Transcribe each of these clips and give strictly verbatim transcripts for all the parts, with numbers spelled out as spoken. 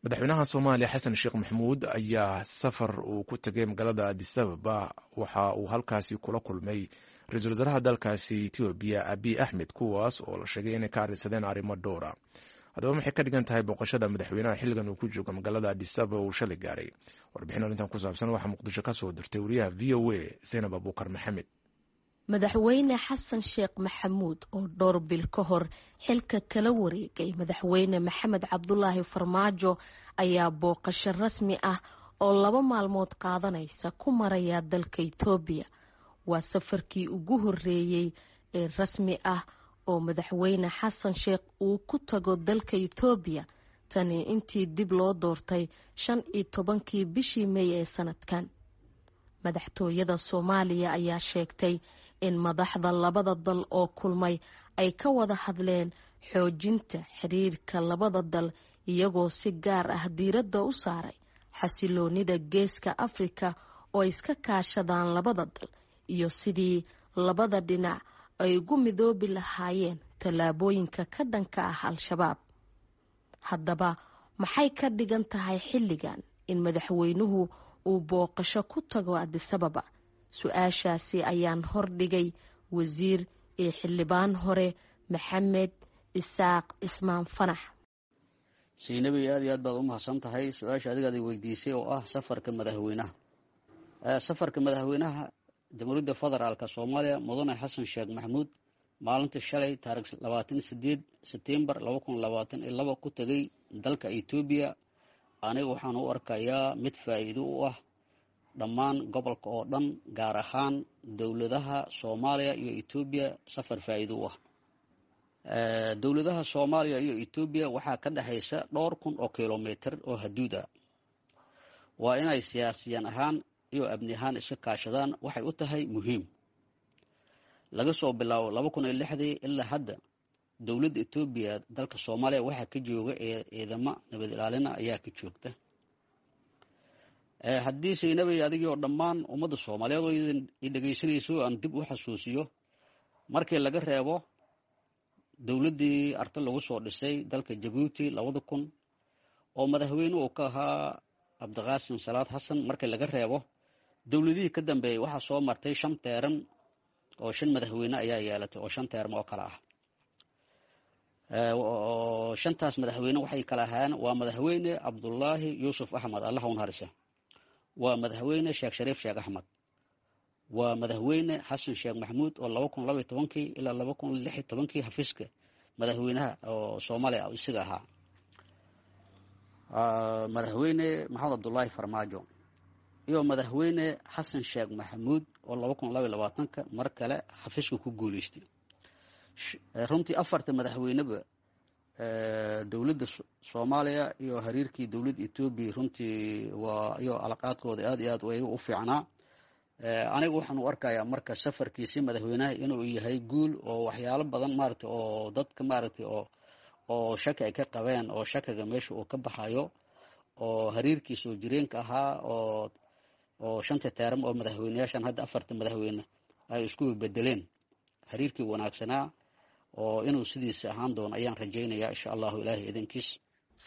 Madaxweynaha Soomaaliya Xasan Sheekh Maxamuud ayaa safar uu ku tegay magaalada Addis Ababa waxa uu halkaasi kula kulmay ra-iisul wasaaraha dalkaasi Etoobiya Abiy Axmed, kuwaas oo la sheegay inay ka arrinsadeen arrimo dhowra. Haddaba, maxay ka dhigan tahay booqashada madaxweynaha xilligan uu ku joogo magaalada Addis Ababa uu shalay gaaray? Warbixin arrintan ku saabsan waxaa Muqdisho ka soo dirtay wariyaha V O A Zaynab Abuukar Maxamed. Madaxweyne Xasan Sheekh Maxamuud oo dhowr bil ka hor xilka kala wareegay Madaxweyne Maxamed Cabdulaahi Farmaajo ayaa booqasho rasmi ah oo laba maalmood qaadanaysa ku maraya dalka Itoobiya. Waa safarkii ugu horeeyey ee rasmi ah oo Madaxweyne Xasan Sheekh uu ku tago dalka Itoobiya tani intii dib loo doortay shan iyo tobankii bishii Mey ee sanadkan. Madaxtooyada Soomaaliya ayaa sheegtay in madaxda labada dal oo kulmay ay ka wada hadleen xoojinta xiriirka labada dal, iyagoo si gaar ah diiradda u saaray xasiloonida Geeska Afrika oo ay iska kaashadaan labada dal iyo sidii labada dhinac ay ugu midoobi lahaayeen tallaabooyinka ka dhanka ah Al-Shabaab. Haddaba, maxay ka dhigan tahay xilligan in madaxweynuhu uu booqasho ku tago Addis Ababa? Su-aashaasi ayaan hordhigay wasiir iyo xildhibaan hore Maxamed Isaaq Cismaan Fanax. Saynabi, aad iyo aad baad u mahadsan tahay. Su-aasha adigaad i weydiisay oo ah safarka madaxweynaha safarka madaxweynaha Jamhuuriyadda Federaalka Soomaaliya, Mudane Xasan Sheekh Maxamuud, maalinta shalay taarikh labaatan sideed Sebtembar laba kun labaatan iyo laba ku tegay dalka Etoobiya, aniga waxaan u arkayaa mid faa'iido u ah dhammaan gobolka oo dhan, gaar ahaan dowladaha Soomaaliya iyo Etoobiya. Safar faa'iido u ah dowladaha Soomaaliya iyo Etoobiya waxaa ka dhexaysa dhowr kun oo kilomitr oo haduud ah. Waa inay siyaasiyan ahaan iyo amni ahaan iska kaashadaan, waxay u tahay muhiim. Laga soo bilaabo laba kun iyo lixdii ilaa hadda, dowladda Etoobiya dalka Soomaaliya waxaa ka jooga ciidamo nabad ilaalina ayaa ka joogta. Haddii, Saynabay, adigii oo dhammaan ummadda Soomaaliyeed oo i dhegaysanayso aan dib u xasuusiyo, markii laga reebo dowladdii Arta lagu soo dhisay dalka Jabuuti labada kun oo madaxweyne uu ka ahaa Cabdiqaasim Salaad Xasan, markii laga reebo, dowladihii ka dambeeyey waxaa soo martay shan term oo shan madaxweyne ayaa yeelatay oo shan term oo kale ah. Shantaas madaxweyne waxay kala ahaayeen: waa Madaxweyne Cabdullaahi Yuusuf Axmed, Allah u naxariisa, waa Madaxweyne Sheekh Shariif Sheekh Axmed, waa Madaxweyne Xasan Sheekh Maxamuud oo laba kun labaiyo tobankii ilaa laba kun lix iyo tobankii xafiiska madaxweynaha oo Soomaaliya isaga ahaa, Madaxweyne Maxamed Cabdullaahi Farmaajo iyo Madaxweyne Xasan Sheekh Maxamuud oo laba kun labaiyo labaatanka mar kale xafiiska ku guuleystay. Runtii afarta madaxweyneba dowladda Soomaaliya iyo xiriirkii dowladda Etoobiya runtii waa iyo alaqaadkooda aad iyo aad ayaga u fiicnaa. Aniga waxaan u arkayaa marka safarkiisi madaxweynaha inuu yahay guul oo waxyaalo badan maaragtay oo dadka maaragtay oo oo shaki ay ka qabeen oo shakiga meesha uu ka baxayo oo xiriirkii soo jireenka ahaa oo oo shanta term oo madaxweyneyaashan hadda afarta madaxweyne ay isku bedeleen, xiriirkii wanaagsanaa oo inuu sidiisa ahaan doono ayaan rajaynayaa, insha Allahu, Ilaahay idinkiis.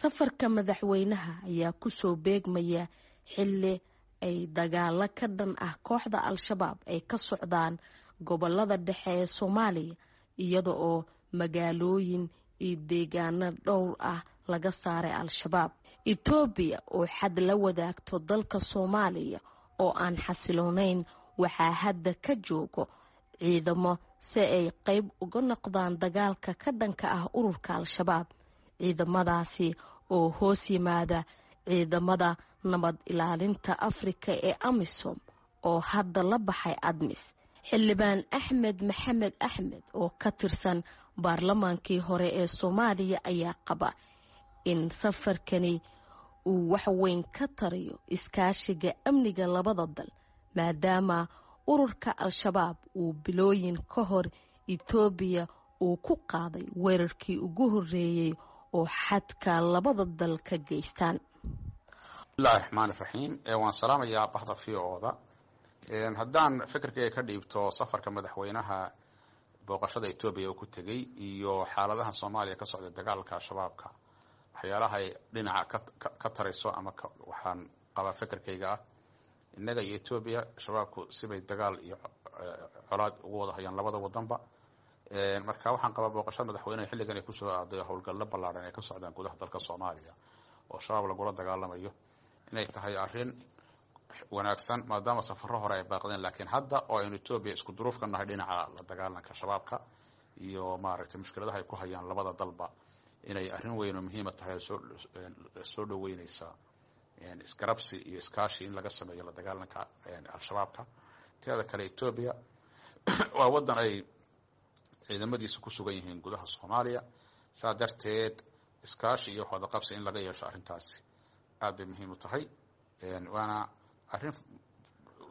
Safarka madaxweynaha ayaa kusoo beegmaya xilli ay dagaalo ka dhan ah kooxda Al-Shabaab ay ka socdaan gobolada dhexe ee Soomaaliya, iyada oo magaalooyin iyo deegaano dhowr ah laga saaray Al-Shabaab. Etoobiya oo xad la wadaagto dalka Soomaaliya oo aan xasiloonayn waxaa hadda ka joogo ciidamo si ay qeyb uga noqdaan dagaalka ka dhanka ah ururka Al-Shabaab, ciidamadaasi oo hoos yimaada ciidamada nabad ilaalinta Afrika ee AMISOM oo hadda la baxay ADMIS. Xildhibaan Axmed Maxamed Axmed oo ka tirsan baarlamaankii hore ee Soomaaliya ayaa qaba in safarkani uu waxweyn ka tarayo iskaashiga amniga labada dal, maadaama ururka Al-Shabaab uu bilooyin ka hor Etoobiya uu ku qaaday weerarkii ugu horeeyey oo xadka labada dal ka geystaan. Bismillahi raxmaan iraxiim. Waan salaamayaa bahda V O-da. Haddaan fikirkayga ka dhiibto safarka madaxweynaha booqashada Etoobiya uu ku tegey iyo xaaladaha Soomaaliya ka socda, dagaalka Shabaabka, waxay Waxyaalaha ay dhinaca ka tarayso ama waxaan qabaa fekerkayga ah, innaga iyo Etoobiya shabaabku sibay dagaal iyo colaad ugu wada hayaan labada wadanba. Marka waxaan qabaa booqashada madaxweyneha xilligan ay kusoo aaday howlgallo ballaadhan ay ka socdaan gudaha dalka Soomaaliya oo shabaab lagula dagaalamayo inay tahay arrin wanaagsan, maadaama safarro hore ay baaqdeen, laakiin hadda oo aynu Etoobiya isku duruuf ka nahay dhinaca la dagaalanka shabaabka iyo maaragtay mushkiladaha ay ku hayaan labada dalba, inay arrin weyn oo muhiima tahay, soo soo dhaweyneysaa isgarabsi iyo iskaashi in laga sameeyo la dagaalanka al-shabaabka. Teeda kale, Etoobiya waa waddan ay ciidamadiisa ku sugan yihiin gudaha Soomaaliya, saa darteed iskaashi iyo waxwadaqabsi in laga yeesho arrintaasi aad bay muhiim u tahay, waana arrin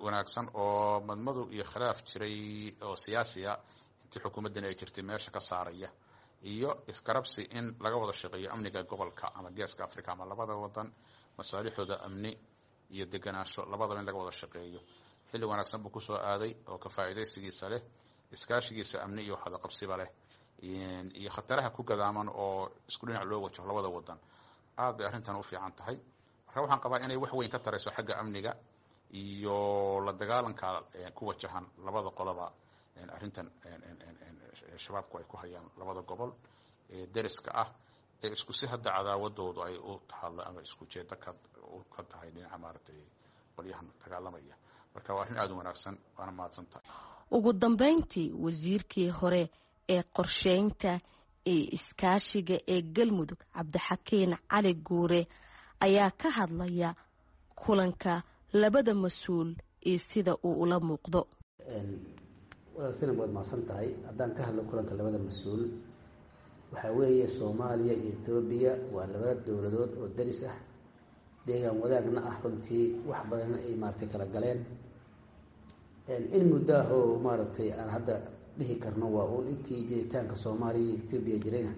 wanaagsan oo madmadow iyo khilaaf jiray oo siyaasiya intii xukuumaddan ay jirtay meesha ka saaraya, iyo isgarabsi in laga wada shaqeeyo amniga gobolka ama Geeska Africa ama labada wadan masaalixooda amni iyo deganaansho labadaba in laga wada shaqeeyo. Xilli wanaagsan buu kusoo aaday oo ka faa'iidaysigiisa leh, iskaashigiisa amni iyo waxwadaqabsiba leh, iyo khataraha ku gadaaman oo isku dhinac loo wajaho labada wadan. Aad bay arrintan u fiican tahay. Marka waxaan qabaa inay wax weyn ka tarayso xagga amniga iyo la dagaalanka ku wajahan labada qoloba arrintan shabaabku ay ku hayaan labada gobol ee deriska ah ee isku si hadda cadaawadoodu ay u tahallo ama isku jeedo ka ka tahay dhinaca maaragtay qolyahan dagaalamaya. Marka waa arrin aada u wanaagsan, waana mahadsan tahay. Ugu dambeyntii, wasiirkii hore ee qorsheynta ee iskaashiga ee Galmudug, Cabdixakiin Cali Guure, ayaa ka hadlaya kulanka labada mas-uul iyo sida uu ula muuqdo. Walaal Sinab, waad mahadsan tahay. Haddaan ka hadlo kulanka labada mas-uul, waxaa weeye Soomaaliya iyo Etoobiya waa labada dowladood oo daris ah, deegaan wadaagna ah, runtii wax badanna ay maaragtay kala galeen in muddo ah oo maaragtay aan hadda dhihi karno waa uun intii jiritaanka Soomaaliya iyo Etoobiya jirayna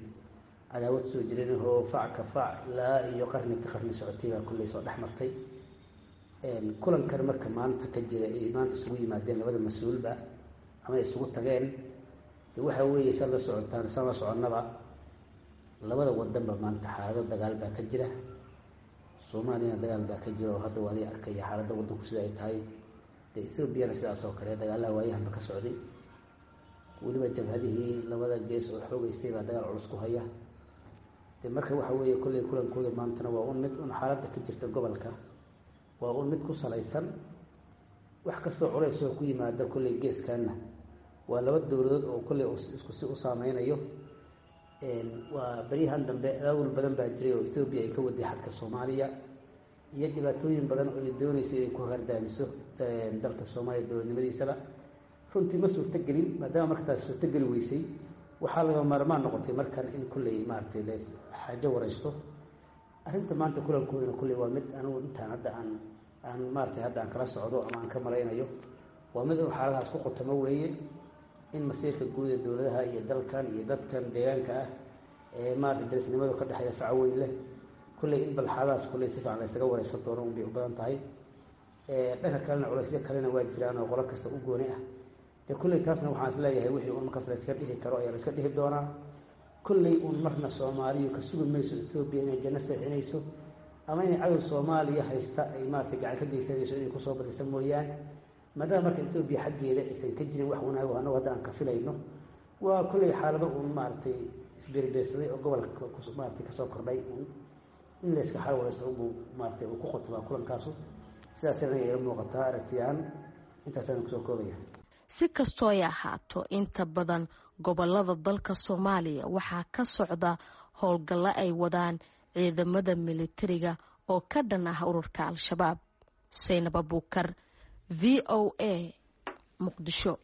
cadaawad soo jiranahoo fac ka fac ilaa iyo qarni ka qarni socotay baa kulley soo dhex martay. Kulankan marka maanta ka jira ay maanta isugu yimaadeen labada mas-uulba ama isugu tageen, de waxa weeye saad la socotaan, saan la soconnaba, labada wadanba maanta xaalado dagaal baa ka jira. Soomaaliyana dagaal baa ka jira oo hadda waa adiga arkaya xaaladda waddanku sida ay tahay. De Ethoobiana sidaas oo kale dagaalaha waayahanba ka socday, weliba jabhadihii labada gees oo xoogeystay baa dagaal culus ku haya. De marka waxa weeye kolley kulankooda maantana waa un mid un xaaladda ka jirta gobolka, waa un mid ku salaysan wax kastoo culays oo ku yimaada kolley geeskaana waa laba dowladood oo kolley isku si u saameynayo. Waa beryahan dambe abaabul badan baa jiray oo Ethoobiya ay ka waday xadka Soomaaliya iyo dhibaatooyin badan oo ay dooneysay inay ku hardaamiso dalka Soomaaliya dowladnimadiisaba. Runtii ma suurtogelin. Maadaama marka taas suurtogeli weysay, waxaa laga maarmaan noqotay markan in kolley maaragtay lees xaajo wareysto. Arrinta maanta kulankoodana kolley waa mid anigu intaan hadda aan aan maaratay hadda aan kala socdo ama aan ka malaynayo waa mid un xaaladahaas ku qotamo weeye, in masiirka guud ee dowladaha iyo dalkan iyo dadkan deegaanka ah ee maarata darisnimadu ka dhexeeya faca weyn leh kulley in bal xaaladahaas kulley si fiican la ysaga wareysan doono un bay u badan tahay. Dhanka kalena culaysyo kalena waa jiraan oo qolo kasta u gooni ah. Dee kulley taasna waxaan is leeyahay wixii un markaas la yska dhihi karo ayaa la iska dhihi doonaa. Kulley uun marna Soomaaliyu ka sugi mayso Ethoobiya inay janno seexinayso ama inay cadow Soomaaliya haysta ay maarata gacan ka geysanayso inay kusoo badisa mooyaane. Maadaama marka Ethoobiya xaggeeda aysan ka jirin wax wanaago annagu hadda aan ka filayno, waa kulley xaalado uun maaragtay isbeerbeersaday oo gobolka maaragtay kasoo kordhay uun in layska xal wareysto unbuu maaratay uu ku qotobaa kulankaasu. Sidaasina aniga ila muuqataa aragtiyahaan, intaasaan kusoo koobaya. Si kastoo ay ahaato, inta badan gobolada dalka Soomaaliya waxaa ka socda howlgallo ay wadaan ciidamada militariga oo ka dhan ah ururka Al-Shabaab. Saynab Abuukar, V O A, Muqdisho.